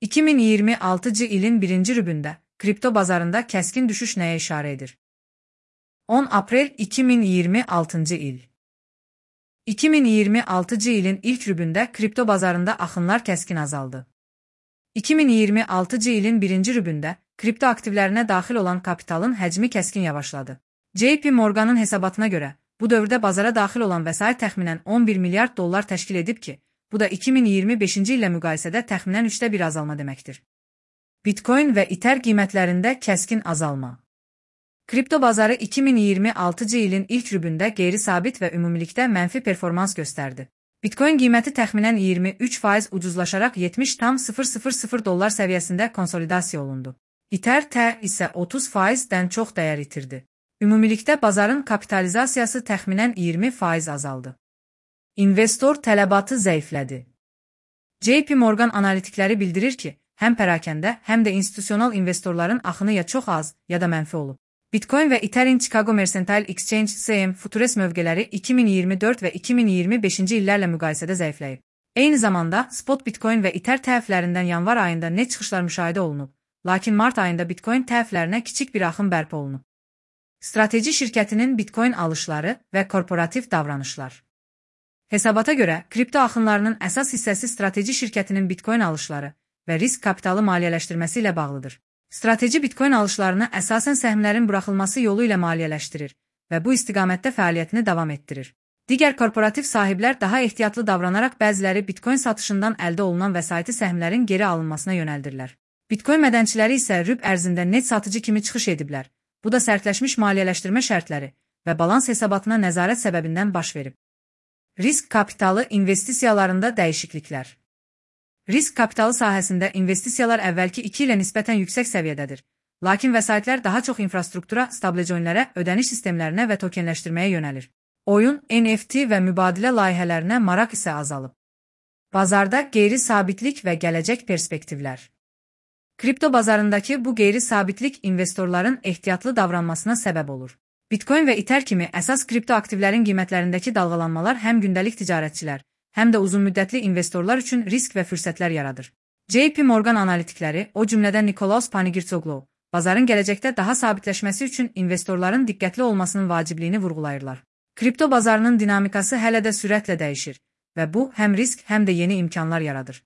2026 ilin birinci rübündə kripto bazarında kəskin düşüş nəyə işarə edir? 10 aprel 2026 il. 2026 ilin ilk rübündə kripto bazarında axınlar kəskin azaldı. 2026 ilin birinci rübündə kripto aktivlərinə daxil olan kapitalın həcmi kəskin yavaşladı. JP Morgan'ın hesabatına görə, bu dövrdə bazara daxil olan vəsait təxminən 11 milyard dollar təşkil edib ki, bu da 2025-ci illə müqayisədə təxminən 1/3 azalma deməkdir. Bitcoin və Ether qiymətlərində kəskin azalma. Kripto bazarı 2026 ilin ilk rübündə qeyri-sabit və ümumilikdə mənfi performans göstərdi. Bitcoin qiyməti təxminən 23% ucuzlaşaraq $70,000 səviyyəsində konsolidasiya olundu. Ether isə 30%-dən çox dəyər itirdi. Ümumilikdə bazarın kapitalizasiyası təxminən 20% azaldı. İnvestor tələbatı zəiflədi. JP Morgan analitikləri bildirir ki, həm pərakəndə, həm də institusional investorların axını ya çox az, ya da mənfi olub. Bitcoin və Etherin Chicago Mercantile Exchange (CME) Futures mövqeləri 2024 və 2025-ci illərlə müqayisədə zəifləyib. Eyni zamanda, spot Bitcoin və Ether tərəflərindən yanvar ayında net çıxışlar müşahidə olunub, lakin mart ayında Bitcoin tərəflərinə kiçik bir axın bərpa olunub. Strateji şirkətinin Bitcoin alışları və korporativ davranışlar. Hesabata görə, kripto axınlarının əsas hissəsi strateji şirkətinin Bitcoin alışları və risk kapitalı maliyyələşdirməsi ilə bağlıdır. Strateji Bitcoin alışlarını əsasən səhmlərin buraxılması yolu ilə maliyyələşdirir və bu istiqamətdə fəaliyyətini davam etdirir. Digər korporativ sahiblər daha ehtiyatlı davranaraq bəziləri Bitcoin satışından əldə olunan vəsaiti səhmlərin geri alınmasına yönəldirlər. Bitcoin mədənçiləri isə rüb ərzində net satıcı kimi çıxış ediblər. Bu da sərtləşmiş maliyyələşdirmə şərtləri və balans hesabatına nəzarət səbəbindən baş verib. Risk kapitalı investisiyalarında dəyişikliklər. Risk kapitalı sahəsində investisiyalar əvvəlki 2 ilə nisbətən yüksək səviyyədədir. Lakin vəsaitlər daha çox infrastruktura, stablecoinlərə, ödəniş sistemlərinə və tokenləşdirməyə yönəlir. Oyun, NFT və mübadilə layihələrinə maraq isə azalıb. Bazarda qeyri-sabitlik və gələcək perspektivlər. Kripto bazarındakı bu qeyri-sabitlik investorların ehtiyatlı davranmasına səbəb olur. Bitcoin və Ether kimi əsas kripto aktivlərin qiymətlərindəki dalğalanmalar həm gündəlik ticarətçilər, həm də uzunmüddətli investorlar üçün risk və fürsətlər yaradır. JP Morgan analitikləri, o cümlədən Nikolaos Panigirtsoglou, bazarın gələcəkdə daha sabitləşməsi üçün investorların diqqətli olmasının vacibliyini vurğulayırlar. Kripto bazarının dinamikası hələ də sürətlə dəyişir və bu həm risk, həm də yeni imkanlar yaradır.